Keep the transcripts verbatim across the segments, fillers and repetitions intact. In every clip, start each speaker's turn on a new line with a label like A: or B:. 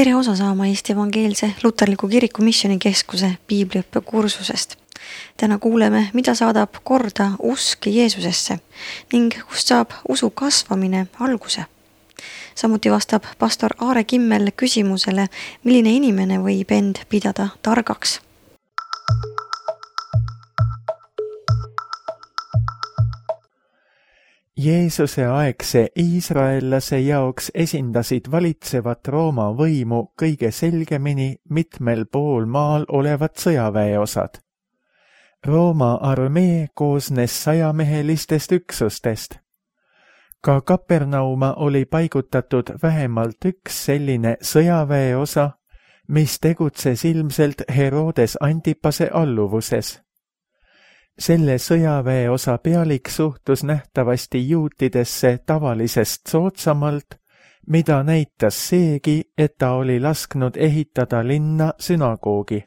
A: Tere osa saama Eesti Evangeelse Luterliku Kiriku Missioonikeskuse piibliõppe kursusest. Täna kuuleme, mida saadab korda usk Jeesusesse ning kust saab usu kasvamine alguse. Samuti vastab pastor Aare Kimmel küsimusele, milline inimene võib end pidada targaks.
B: Jeesuse aegse iisraellase jaoks esindasid valitsevat Rooma võimu kõige selgemini mitmel pool maal olevad sõjaväeosad. Rooma armee koosnes sajamehelistest üksustest. Ka Kapernauma oli paigutatud vähemalt üks selline sõjaväeosa, mis tegutses ilmselt Herodes Antipase alluvuses. Selle sõjaväeosa pealik suhtus nähtavasti juutidesse tavalisest soodsamalt, mida näitas seegi, et ta oli lasknud ehitada linna sünagoogi.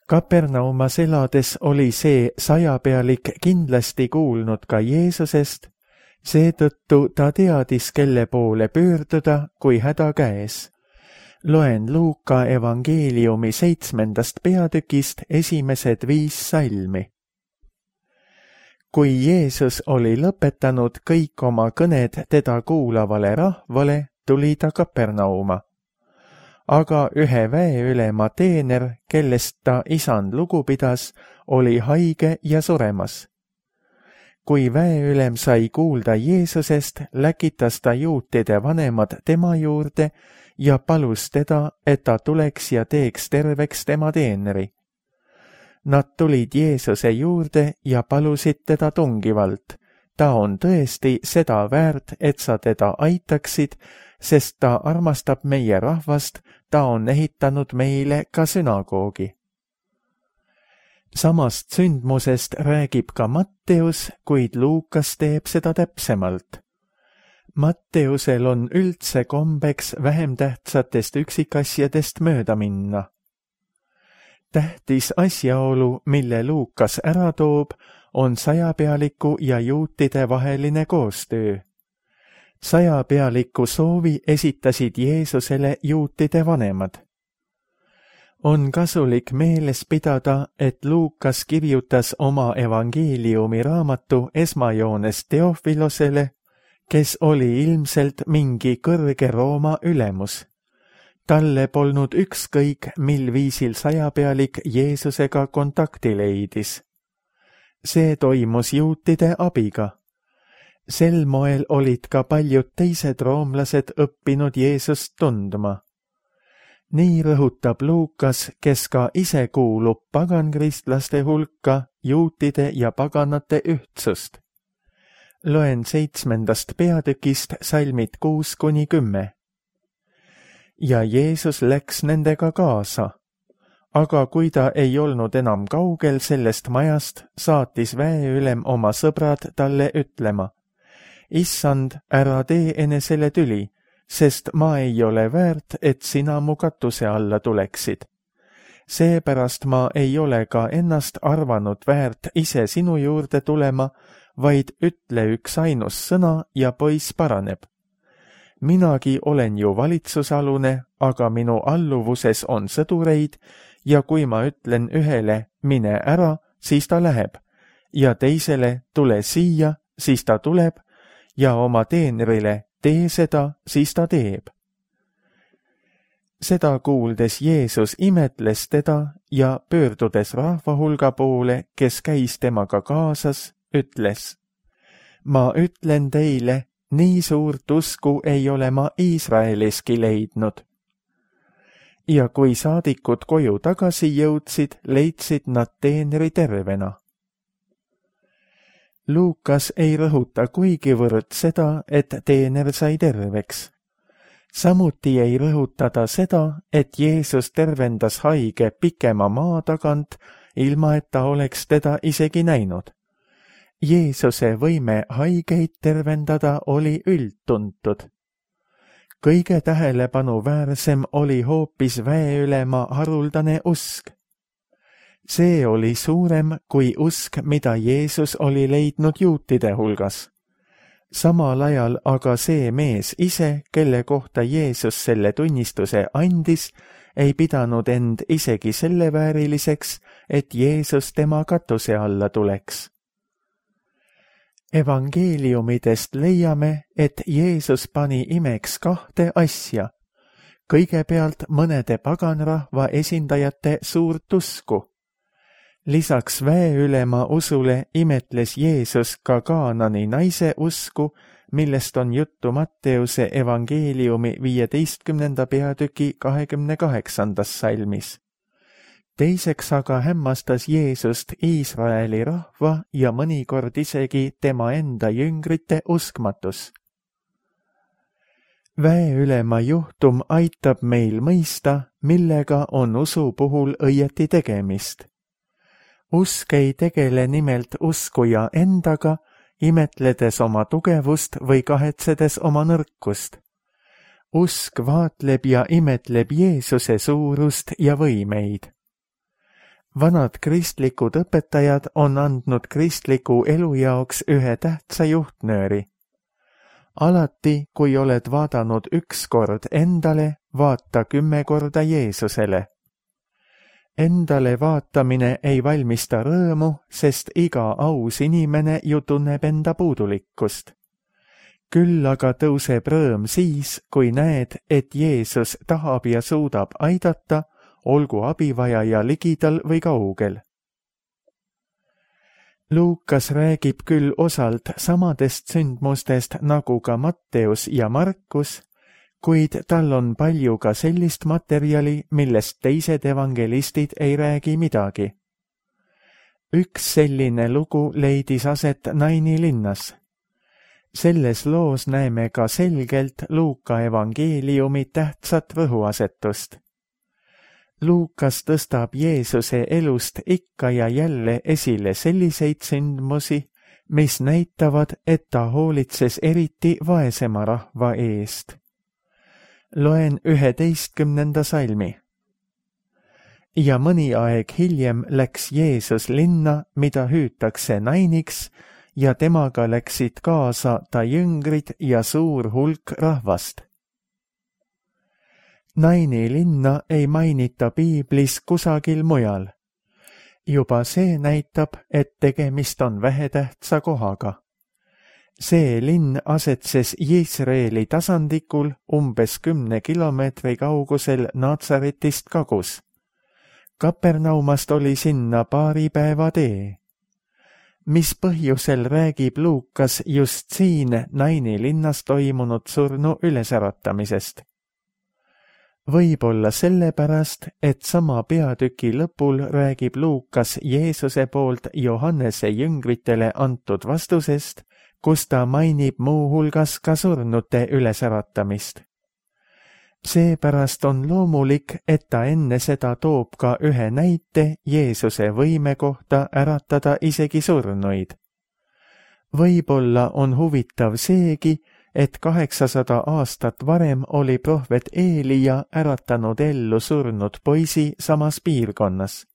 B: Kapernaumas elades oli see sajapealik kindlasti kuulnud ka Jeesusest, seetõttu ta teadis, kelle poole pöörduda, kui häda käes. Loen Luuka evangeeliumi seitsmendast peatükist esimesed viis salmi. Kui Jeesus oli lõpetanud kõik oma kõned teda kuulavale rahvale, tuli ta Kapernauma. Aga ühe väeülema teener, kellest ta isand lugu pidas, oli haige ja suremas. Kui väeülem sai kuulda Jeesusest, läkitas ta juutide vanemad tema juurde ja palus teda, et ta tuleks ja teeks terveks tema teeneri. Nad tulid Jeesuse juurde ja palusid teda tungivalt. Ta on tõesti seda väärt, et sa teda aitaksid, sest ta armastab meie rahvast, ta on ehitanud meile ka sünagoogi. Samast sündmusest räägib ka Matteus, kuid Luukas teeb seda täpsemalt. Matteusel on üldse kombeks vähem tähtsatest üksikasjadest mööda minna. Tähtis asjaolu, mille Luukas ära toob, on sajapealiku ja juutide vaheline koostöö. Sajapealiku soovi esitasid Jeesusele juutide vanemad. On kasulik meeles pidada, et Luukas kirjutas oma evangeeliumi raamatu esmajoones Teofilosele, kes oli ilmselt mingi kõrge Rooma ülemus. Talle polnud ükskõik, mil viisil sajapealik Jeesusega kontakti leidis. See toimus juutide abiga. Sel moel olid ka paljud teised roomlased õppinud Jeesust tundma. Nii rõhutab Luukas, kes ka ise kuulub pagankristlaste hulka, juutide ja paganate ühtsust. Loen seitsmendast peatükist salmid kuus kuni kümme. Ja Jeesus läks nendega kaasa. Aga kui ta ei olnud enam kaugel sellest majast, saatis väeülem oma sõbrad talle ütlema: Issand, ära tee enesele tüli, sest ma ei ole väärt, et sina mu katuse alla tuleksid. Seepärast ma ei ole ka ennast arvanud väärt ise sinu juurde tulema, vaid ütle üks ainus sõna ja poiss paraneb. Minagi olen ju valitsusalune, aga minu alluvuses on sõdureid ja kui ma ütlen ühele, mine ära, siis ta läheb, ja teisele, tule siia, siis ta tuleb, ja oma teenrile, tee seda, siis ta teeb. Seda kuuldes Jeesus imetles teda ja pöördudes rahvahulga poole, kes käis temaga kaasas, ütles: Ma ütlen teile, nii suurt usku ei ole ma Iisraeliski leidnud. Ja kui saadikud koju tagasi jõudsid, leidsid nad teenri tervena. Luukas ei rõhuta kuigivõrd seda, et teener sai terveks. Samuti ei rõhuta ta seda, et Jeesus tervendas haige pikema maa tagant, ilma et ta oleks teda isegi näinud. Jeesuse võime haigeid tervendada oli üldtuntud. Kõige tähelepanuväärsem oli hoopis väeülema haruldane usk. See oli suurem kui usk, mida Jeesus oli leidnud juutide hulgas. Samal ajal aga see mees ise, kelle kohta Jeesus selle tunnistuse andis, ei pidanud end isegi selle vääriliseks, et Jeesus tema katuse alla tuleks. Evangeeliumidest leiame, et Jeesus pani imeks kahte asja. Kõigepealt mõnede paganrahva esindajate suurt usku. Lisaks väeülema usule imetles Jeesus ka Kaanani naise usku, millest on juttu Matteuse evangeeliumi viieteistkümnenda peatüki kahekümne kaheksandas salmis. Teiseks aga hämmastas Jeesust Iisraeli rahva ja mõnikord isegi tema enda jüngrite uskmatus. Väeülema juhtum aitab meil mõista, millega on usu puhul õieti tegemist. Usk ei tegele nimelt uskuja endaga, imetledes oma tugevust või kahetsedes oma nõrkust. Usk vaatleb ja imetleb Jeesuse suurust ja võimeid. Vanad kristlikud õpetajad on andnud kristliku elu jaoks ühe tähtsa juhtnööri. Alati, kui oled vaadanud üks kord endale, vaata kümme korda Jeesusele. Endale vaatamine ei valmista rõõmu, sest iga aus inimene ju tunneb enda puudulikkust. Küll aga tõuseb rõõm siis, kui näed, et Jeesus tahab ja suudab aidata, olgu abivajaja ligidal või kaugel. Luukas räägib küll osalt samadest sündmustest nagu ka Matteus ja Markus, kuid tal on palju ka sellist materjali, millest teised evangelistid ei räägi midagi. Üks selline lugu leidis aset Naini linnas. Selles loos näeme ka selgelt Luuka evangeeliumi tähtsat rõhuasetust. Luukas tõstab Jeesuse elust ikka ja jälle esile selliseid sündmusi, mis näitavad, et ta hoolitses eriti vaesema rahva eest. Loen üheteistkümnenda salmi. Ja mõni aeg hiljem läks Jeesus linna, mida hüütakse Nainiks, ja temaga läksid kaasa ta jüngrid ja suur hulk rahvast. Naini linna ei mainita piiblis kusagil mujal. Juba see näitab, et tegemist on vähetähtsa kohaga. See linn asetses Iisraeli tasandikul umbes kümne kilomeetri kaugusel Natsaretist kagus. Kapernaumast oli sinna paari päeva tee. Mis põhjusel räägib Luukas just siin Naini linnas toimunud surnu ülesäratamisest? Võib-olla sellepärast, et sama peatüki lõpul räägib Luukas Jeesuse poolt Johannese jüngritele antud vastusest, kus ta mainib muuhulgas ka surnute ülesäratamist. Seepärast on loomulik, et ta enne seda toob ka ühe näite Jeesuse võime kohta äratada isegi surnuid. Võib-olla on huvitav seegi, et kaheksasada aastat varem oli prohvet Eelia äratanud ellu surnud poisi samas piirkonnas.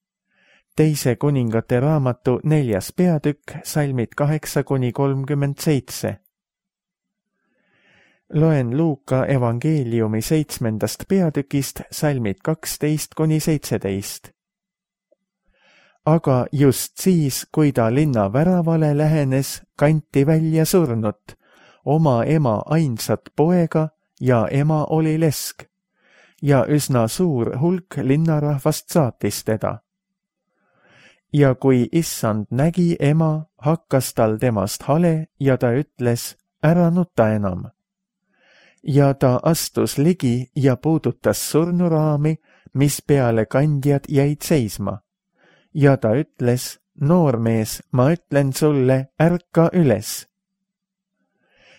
B: Teise kuningate raamatu neljas peatükk, salmid kaheksa kuni kolmkümmend seitse. Loen Luuka evangeeliumi seitsmendast peatükist, salmid kaksteist kuni seitseteist. Aga just siis, kui ta linna väravale lähenes, kanti välja surnut, oma ema ainsat poega ja ema oli lesk, ja üsna suur hulk linnarahvast saatis teda. Ja kui issand nägi ema, hakkas tal temast hale ja ta ütles, ära nuta enam. Ja ta astus ligi ja puudutas surnuraami, mis peale kandjad jäid seisma. Ja ta ütles, noormees, ma ütlen sulle, ärka üles.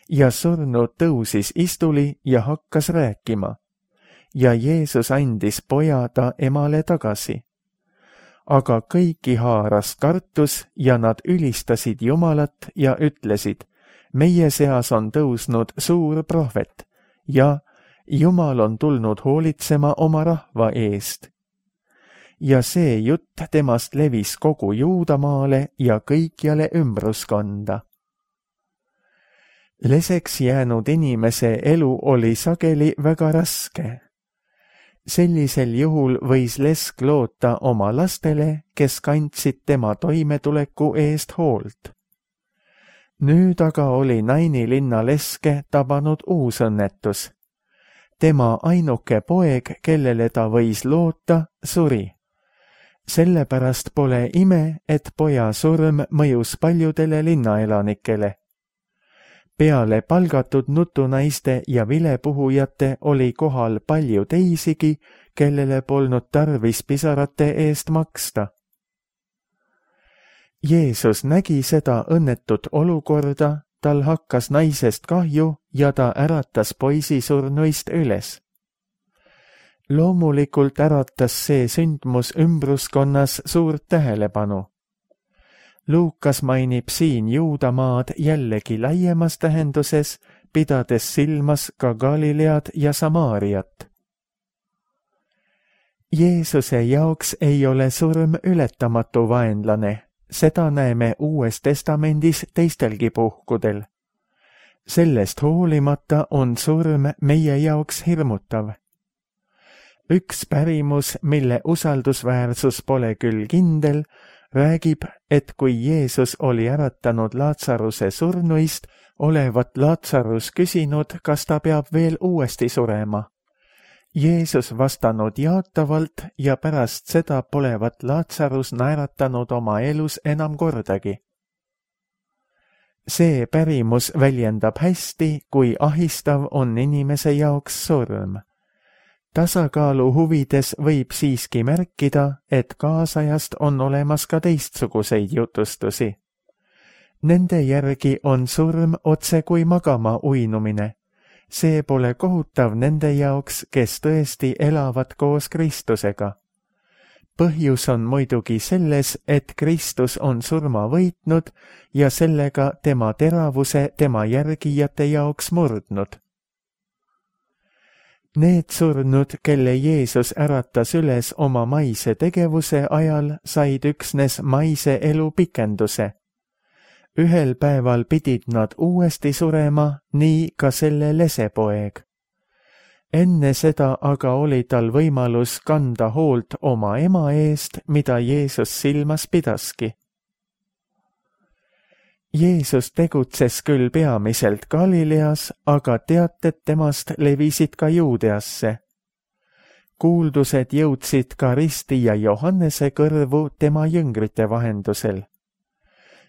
B: Ja surnu tõusis istuli ja hakkas rääkima. Ja Jeesus andis poja ta emale tagasi. Aga kõiki haaras kartus ja nad ülistasid Jumalat ja ütlesid, meie seas on tõusnud suur prohvet ja Jumal on tulnud hoolitsema oma rahva eest. Ja see jutt temast levis kogu Juudamaale ja kõikjale ümbruskonda. leseks jäänud inimese elu oli sageli väga raske. Sellisel juhul võis lesk loota oma lastele, kes kandsid tema toimetuleku eest hoolt. Nüüd aga oli Naini linna leske tabanud uus õnnetus. Tema ainuke poeg, kellele ta võis loota, suri. Sellepärast pole ime, et poja surm mõjus paljudele linnaelanikele. Peale palgatud nutunaiste ja vilepuhujate oli kohal palju teisigi, kellele polnud tarvis pisarate eest maksta. Jeesus nägi seda õnnetut olukorda, tal hakkas naisest kahju ja ta äratas poisi surnuist üles. Loomulikult äratas see sündmus ümbruskonnas suurt tähelepanu. Luukas mainib siin Juudamaad jällegi laiemas tähenduses, pidades silmas ka Galilead ja Samaariat. Jeesuse jaoks ei ole surm ületamatu vaenlane, seda näeme Uues Testamendis teistelgi puhkudel. Sellest hoolimata on surm meie jaoks hirmutav. Üks pärimus, mille usaldusväärsus pole küll kindel, räägib, et kui Jeesus oli äratanud Laatsaruse surnuist, olevat Laatsarus küsinud, kas ta peab veel uuesti surema. Jeesus vastanud jaatavalt ja pärast seda polevat Laatsarus naeratanud oma elus enam kordagi. See pärimus väljendab hästi, kui ahistav on inimese jaoks surm. Tasakaalu huvides võib siiski märkida, et kaasajast on olemas ka teistsuguseid jutustusi. Nende järgi on surm otse kui magama uinumine. See pole kohutav nende jaoks, kes tõesti elavad koos Kristusega. Põhjus on muidugi selles, et Kristus on surma võitnud ja sellega tema teravuse tema järgijate jaoks murdnud. Need surnud, kelle Jeesus äratas üles oma maise tegevuse ajal, said üksnes maise elu pikenduse. Ühel päeval pidid nad uuesti surema, nii ka selle lesepoeg. Enne seda aga oli tal võimalus kanda hoolt oma ema eest, mida Jeesus silmas pidaski. Jeesus tegutses küll peamiselt Galileas, aga teated temast levisid ka Juudeasse. Kuuldused jõudsid ka Risti ja Johannese kõrvu tema jüngrite vahendusel.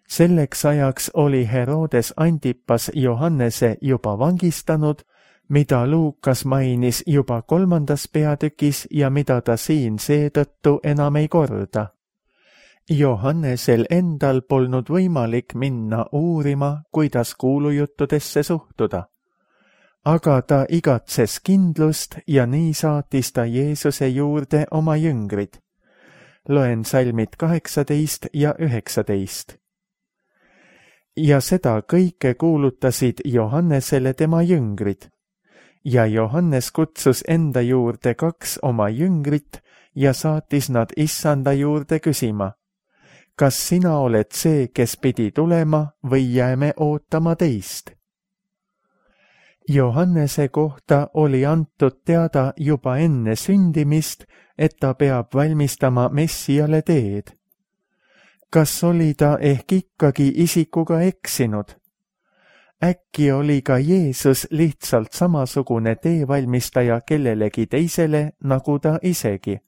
B: Selleks ajaks oli Herodes Antipas Johannese juba vangistanud, mida Luukas mainis juba kolmandas peatükis ja mida ta siin seetõttu enam ei korda. Johannesel endal polnud võimalik minna uurima, kuidas kuulujuttudesse suhtuda. Aga ta igatses kindlust ja nii saatis ta Jeesuse juurde oma jüngrid. Loen salmid kaheksateist ja üheksateist. Ja seda kõike kuulutasid Johannesele tema jüngrid. Ja Johannes kutsus enda juurde kaks oma jüngrit ja saatis nad issanda juurde küsima: kas sina oled see, kes pidi tulema, või jääme ootama teist? Johannese kohta oli antud teada juba enne sündimist, et ta peab valmistama Messiale teed. Kas oli ta ehk ikkagi isikuga eksinud? Äkki oli ka Jeesus lihtsalt samasugune teevalmistaja kellelegi teisele, nagu ta isegi?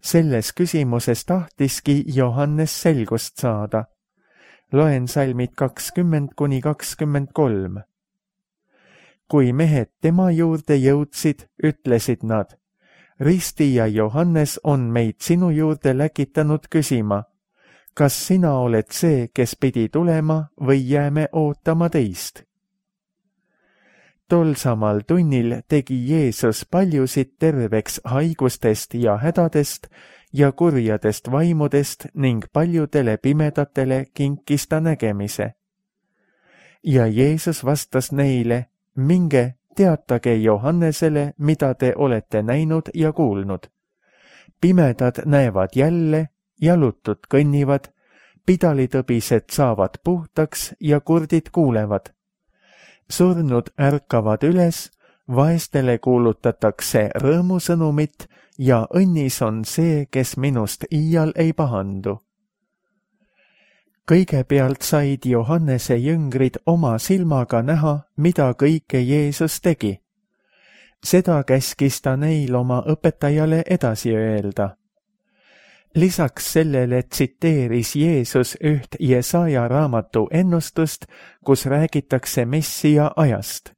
B: Selles küsimuses tahtiski Johannes selgust saada. Loen salmid kakskümmend kuni kakskümmend kolm. Kui mehed tema juurde jõudsid, ütlesid nad: Risti ja Johannes on meid sinu juurde läkitanud küsima: kas sina oled see, kes pidi tulema, või jääme ootama teist? Tol samal tunnil tegi Jeesus paljusid terveks haigustest ja hädadest ja kurjadest vaimudest ning paljudele pimedatele kinkis ta nägemise. Ja Jeesus vastas neile: minge, teatage Johannesele, mida te olete näinud ja kuulnud. Pimedad näevad jälle, jalutud kõnnivad, pidalitõbised saavad puhtaks ja kurdid kuulevad. surnud ärkavad üles, vaestele kuulutatakse rõõmusõnumit ja õnnis on see, kes minust iial ei pahandu. Kõigepealt said Johannese jüngrid oma silmaga näha, mida kõike Jeesus tegi. Seda käskis ta neil oma õpetajale edasi öelda. Lisaks sellele tsiteeris Jeesus üht Jesaja raamatu ennustust, kus räägitakse Messia ajast.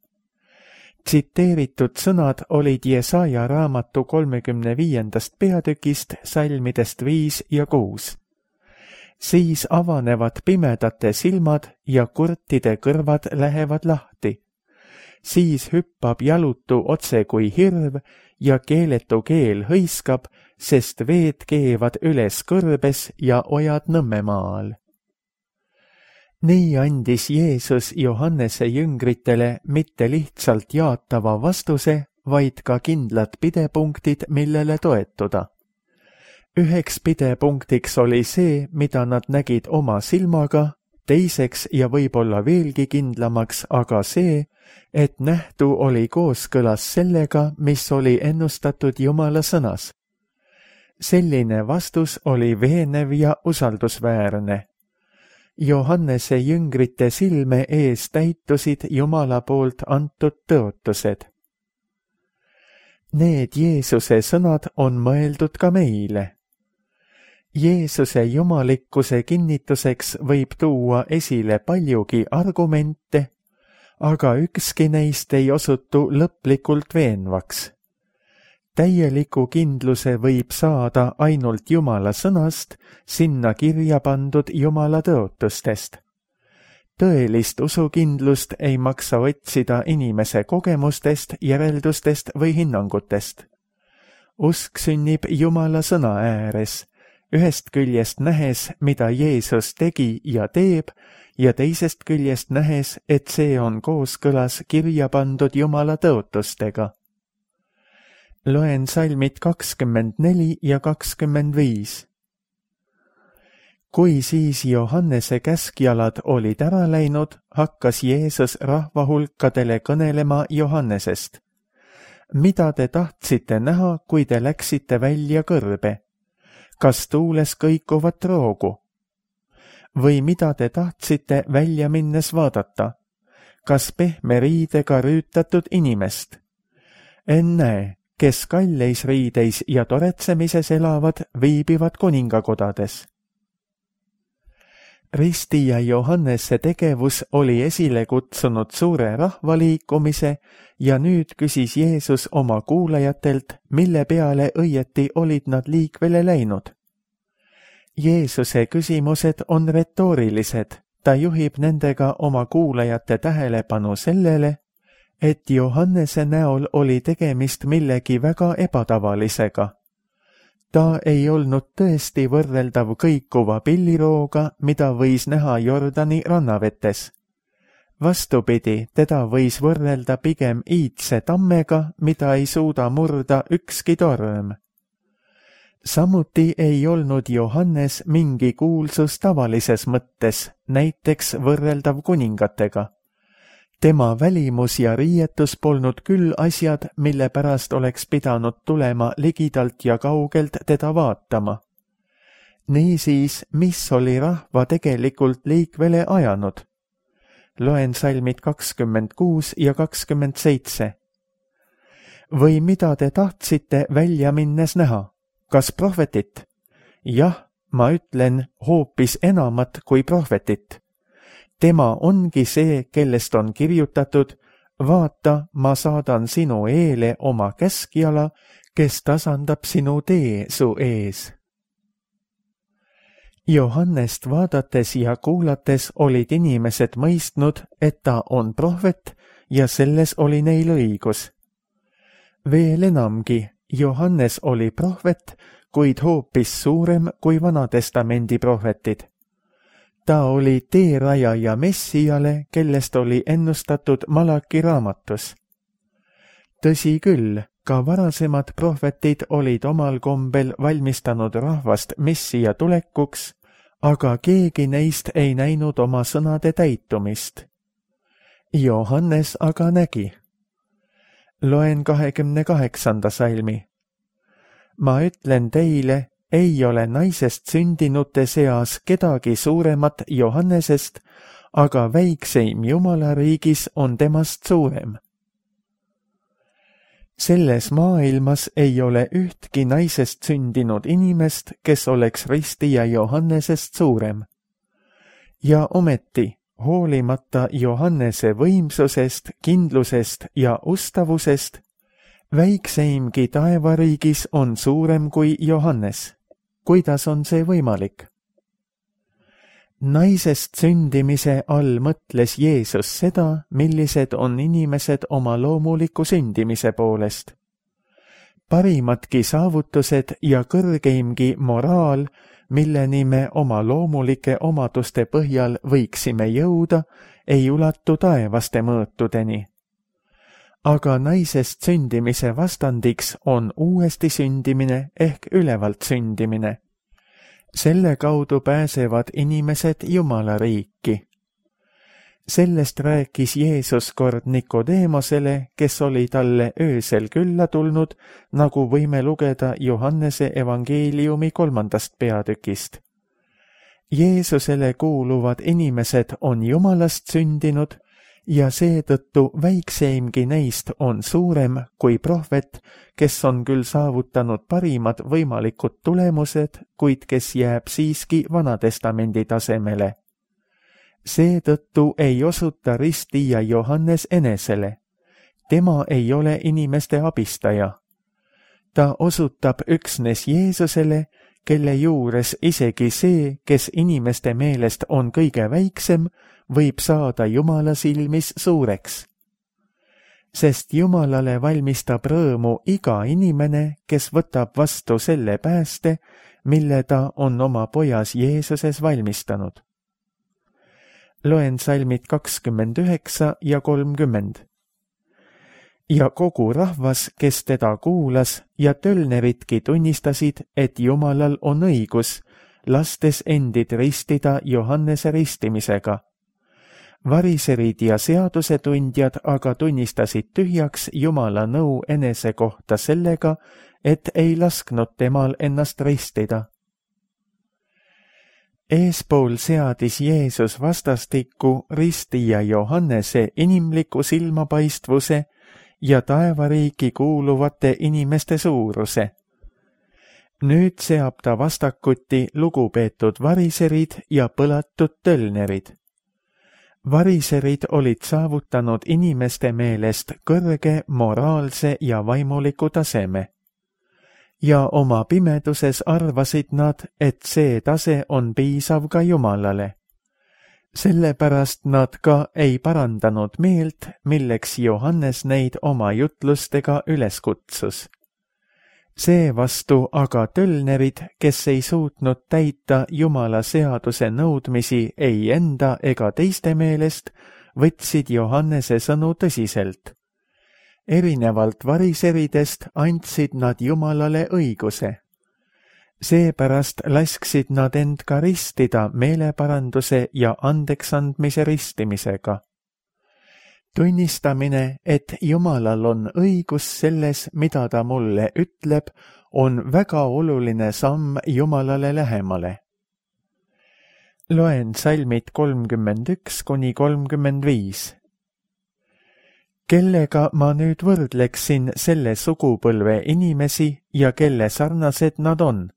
B: Tsiteeritud sõnad olid Jesaja raamatu kolmekümne viiendast peatükist, salmidest viis ja kuus. Siis avanevad pimedate silmad ja kurtide kõrvad lähevad lahti. Siis hüppab jalutu otse kui hirv ja keeletu keel hõiskab, sest veed keevad üles kõrbes ja ojad Nõmmemaal. Nii andis Jeesus Johannese jüngritele mitte lihtsalt jaatava vastuse, vaid ka kindlad pidepunktid, millele toetuda. Üheks pidepunktiks oli see, mida nad nägid oma silmaga, teiseks ja võib-olla veelgi kindlamaks aga see, et nähtu oli kooskõlas sellega, mis oli ennustatud Jumala sõnas. Selline vastus oli veenev ja usaldusväärne. Johannese jüngrite silme ees täitusid Jumala poolt antud tõotused. Need Jeesuse sõnad on mõeldud ka meile. Jeesuse jumalikkuse kinnituseks võib tuua esile paljugi argumente, aga ükski neist ei osutu lõplikult veenvaks. Täieliku kindluse võib saada ainult Jumala sõnast, sinna kirja pandud Jumala tõotustest. Tõelist usukindlust ei maksa otsida inimese kogemustest, järeldustest või hinnangutest. Usk sünnib Jumala sõna ääres, ühest küljest nähes, mida Jeesus tegi ja teeb, ja teisest küljest nähes, et see on kooskõlas kirja pandud Jumala tõotustega. Loen salmid kakskümmend neli ja kakskümmend viis. Kui siis Johannese käskjalad olid ära läinud, hakkas Jeesus rahvahulkadele kõnelema Johannesest. Mida te tahtsite näha, kui te läksite välja kõrbe? Kas tuules kõikuvat roogu? Või mida te tahtsite välja minnes vaadata? Kas pehme riidega rüütatud inimest? Ennäe, kes kalleis riideis ja toretsemises elavad, viibivad kuningakodades. Ristija Johannese tegevus oli esile kutsunud suure rahvaliikumise ja nüüd küsis Jeesus oma kuulajatelt, mille peale õieti olid nad liikvele läinud. Jeesuse küsimused on retoorilised, ta juhib nendega oma kuulajate tähelepanu sellele, et Johannese näol oli tegemist millegi väga ebatavalisega. Ta ei olnud tõesti võrreldav kõikuva pillirooga, mida võis näha Jordani rannavetes. Vastupidi, teda võis võrrelda pigem iidse tammega, mida ei suuda murda ükski torm. Samuti ei olnud Johannes mingi kuulsus tavalises mõttes, näiteks võrreldav kuningatega. Tema välimus ja riietus polnud küll asjad, mille pärast oleks pidanud tulema ligidalt ja kaugelt teda vaatama. Niisiis, mis oli rahva tegelikult liikvele ajanud? Loen salmid kakskümmend kuus ja kakskümmend seitse. Või mida te tahtsite välja minnes näha? Kas prohvetit? Jah, ma ütlen hoopis enamat kui prohvetit. Tema ongi see, kellest on kirjutatud, vaata, ma saadan sinu eele oma käskjala, kes tasandab sinu tee su ees. Johannest vaadates ja kuulates olid inimesed mõistnud, et ta on prohvet ja selles oli neil õigus. Veel enamgi, Johannes oli prohvet, kuid hoopis suurem kui Vanatestamendi prohvetid. Ta oli teerajaja Messiale, kellest oli ennustatud Malaki raamatus. Tõsi küll, ka varasemad prohvetid olid omal kombel valmistanud rahvast Messia tulekuks, aga keegi neist ei näinud oma sõnade täitumist. Johannes aga nägi. Loen kahekümne kaheksanda salmi. Ma ütlen teile, ei ole naisest sündinute seas kedagi suuremat Johannesest, aga väikseim Jumala riigis on temast suurem. Selles maailmas ei ole ühtki naisest sündinud inimest, kes oleks ristija Johannesest suurem. Ja ometi, hoolimata Johannese võimsusest, kindlusest ja ustavusest, väikseimgi taevariigis on suurem kui Johannes. Kuidas on see võimalik? Naisest sündimise all mõtles Jeesus seda, millised on inimesed oma loomuliku sündimise poolest. Parimatki saavutused ja kõrgeimgi moraal, milleni me oma loomulike omaduste põhjal võiksime jõuda, ei ulatu taevaste mõõtudeni. Aga naisest sündimise vastandiks on uuesti sündimine ehk ülevalt sündimine. Selle kaudu pääsevad inimesed Jumala riiki. Sellest rääkis Jeesus kord Nikodeemosele, kes oli talle öösel külla tulnud, nagu võime lugeda Johannese evangeeliumi kolmandast peatükist. Jeesusele kuuluvad inimesed on Jumalast sündinud ja seetõttu väikseimgi neist on suurem kui prohvet, kes on küll saavutanud parimad võimalikud tulemused, kuid kes jääb siiski Vanatestamendi tasemele. Seetõttu ei osuta ristija Johannes enesele. Tema ei ole inimeste abistaja. Ta osutab üksnes Jeesusele, kelle juures isegi see, kes inimeste meelest on kõige väiksem, võib saada Jumala silmis suureks. Sest Jumalale valmistab rõõmu iga inimene, kes võtab vastu selle pääste, mille ta on oma pojas Jeesuses valmistanud. Loen salmid kakskümmend üheksa ja kolmkümmend. Ja kogu rahvas, kes teda kuulas ja tölneritki tunnistasid, et Jumalal on õigus, lastes endid ristida Johannese ristimisega. Variserid ja seadusetundjad aga tunnistasid tühjaks Jumala nõu enese kohta sellega, et ei lasknud temal ennast ristida. Eespool seadis Jeesus vastastikku ristija Johannese inimliku silmapaistvuse ja taevariiki kuuluvate inimeste suuruse. Nüüd seab ta vastakuti lugupeetud variserid ja põlatud tölnerid. Variserid olid saavutanud inimeste meelest kõrge moraalse ja vaimuliku taseme. Ja oma pimeduses arvasid nad, et see tase on piisav ka Jumalale. Sellepärast nad ka ei parandanud meelt, milleks Johannes neid oma jutlustega üles kutsus. Seevastu aga tölnerid, kes ei suutnud täita Jumala seaduse nõudmisi ei enda ega teiste meelest, võtsid Johannese sõnu tõsiselt. Erinevalt variseridest andsid nad Jumalale õiguse. Seepärast lasksid nad end ka ristida meeleparanduse ja andeksandmise ristimisega. Tunnistamine, et Jumalal on õigus selles, mida ta mulle ütleb, on väga oluline samm Jumalale lähemale. Loen salmid kolmkümmend üks kuni kolmkümmend viis. Kellega ma nüüd võrdleksin selle sugupõlve inimesi ja kelle sarnased nad on?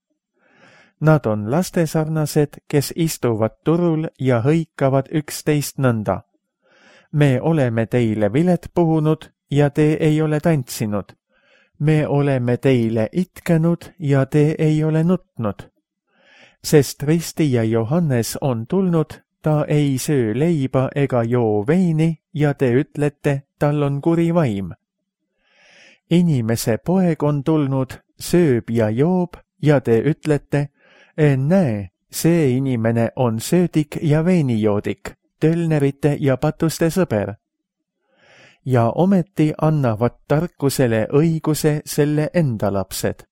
B: Nad on lastesarnased, kes istuvad turul ja hõikavad üksteist nõnda. Me oleme teile vilet puhunud ja te ei ole tantsinud. Me oleme teile itkenud ja te ei ole nutnud. Sest ristija Johannes on tulnud, ta ei söö leiba ega joo veini ja te ütlete, tal on kuri vaim. Inimese poeg on tulnud, sööb ja joob ja te ütlete, näe, see inimene on söödik ja veinijoodik, tölnerite ja patuste sõber. Ja ometi annavad tarkusele õiguse selle enda lapsed.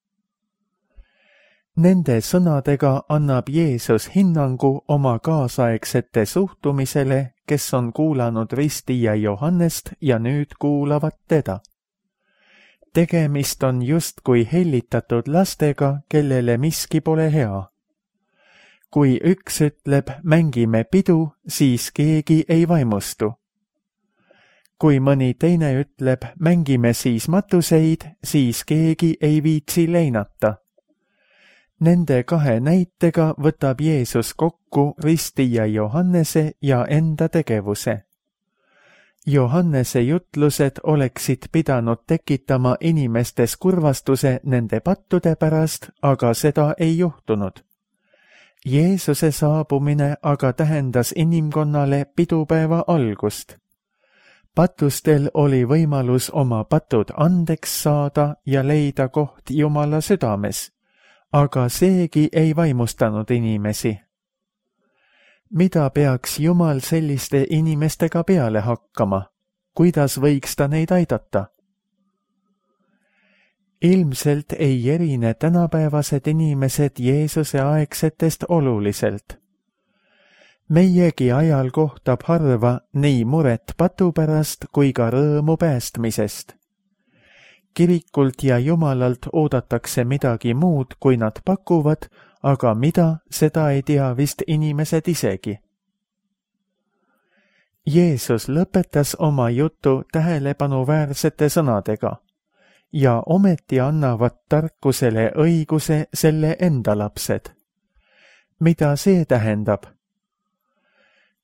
B: Nende sõnadega annab Jeesus hinnangu oma kaasaegsete suhtumisele, kes on kuulanud ristija Johannest ja nüüd kuulavad teda. Tegemist on justkui hellitatud lastega, kellele miski pole hea. Kui üks ütleb, mängime pidu, siis keegi ei vaimustu. Kui mõni teine ütleb, mängime siis matuseid, siis keegi ei viitsi leinata. Nende kahe näitega võtab Jeesus kokku ristija Johannese ja enda tegevuse. Johannese jutlused oleksid pidanud tekitama inimestes kurvastuse nende pattude pärast, aga seda ei juhtunud. Jeesuse saabumine aga tähendas inimkonnale pidupäeva algust. Patustel oli võimalus oma patud andeks saada ja leida koht Jumala südames, aga seegi ei vaimustanud inimesi. Mida peaks Jumal selliste inimestega peale hakkama? Kuidas võiks ta neid aidata? Ilmselt ei erine tänapäevased inimesed Jeesuse aegsetest oluliselt. Meiegi ajal kohtab harva nii muret patu pärast kui ka rõõmu päästmisest. Kirikult ja Jumalalt oodatakse midagi muud, kui nad pakuvad, aga mida, seda ei tea vist inimesed isegi. Jeesus lõpetas oma jutu tähelepanuväärsete sõnadega ja ometi annavad tarkusele õiguse selle enda lapsed. Mida see tähendab?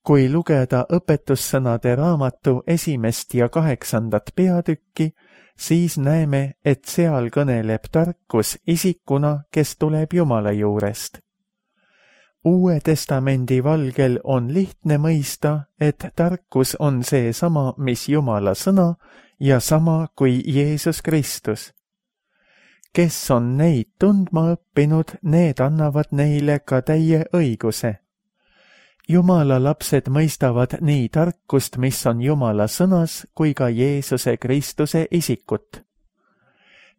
B: Kui lugeda õpetussõnade raamatu esimest ja kaheksandat peatükki, siis näeme, et seal kõneleb tarkus isikuna, kes tuleb Jumala juurest. Uue testamendi valgel on lihtne mõista, et tarkus on see sama, mis Jumala sõna ja sama kui Jeesus Kristus. Kes on neid tundma õppinud, need annavad neile ka täie õiguse. Jumala lapsed mõistavad nii tarkust, mis on Jumala sõnas, kui ka Jeesuse Kristuse isikut.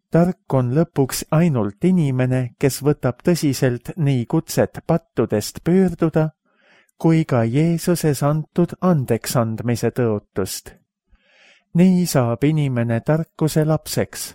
B: Tark on lõpuks ainult inimene, kes võtab tõsiselt nii kutset pattudest pöörduda, kui ka Jeesuses antud andeksandmise tõotust. Nii saab inimene tarkuse lapseks.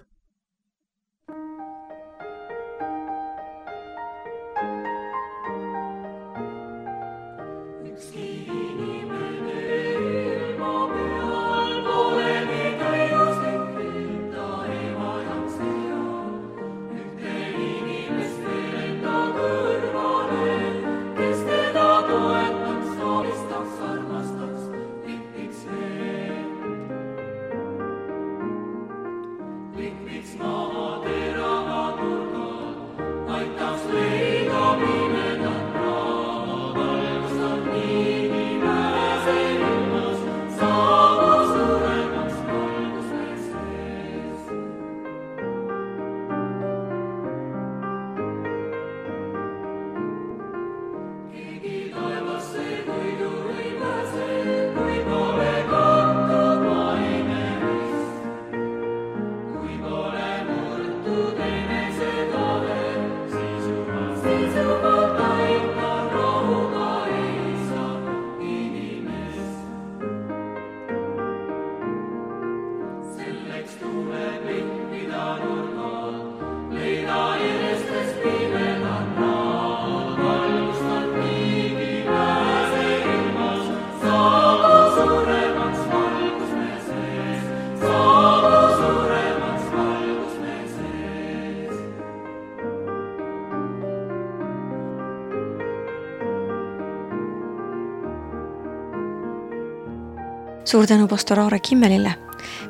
A: Suur tänu pastor Aare Kimmelile.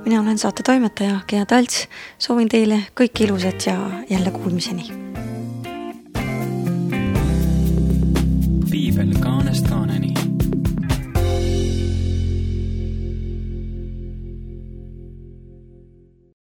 A: Mina olen saate toimetaja Gea Talts. Soovin teile kõik ilusat ja jälle kuulmiseni.
C: Piibel kaanest kaaneni.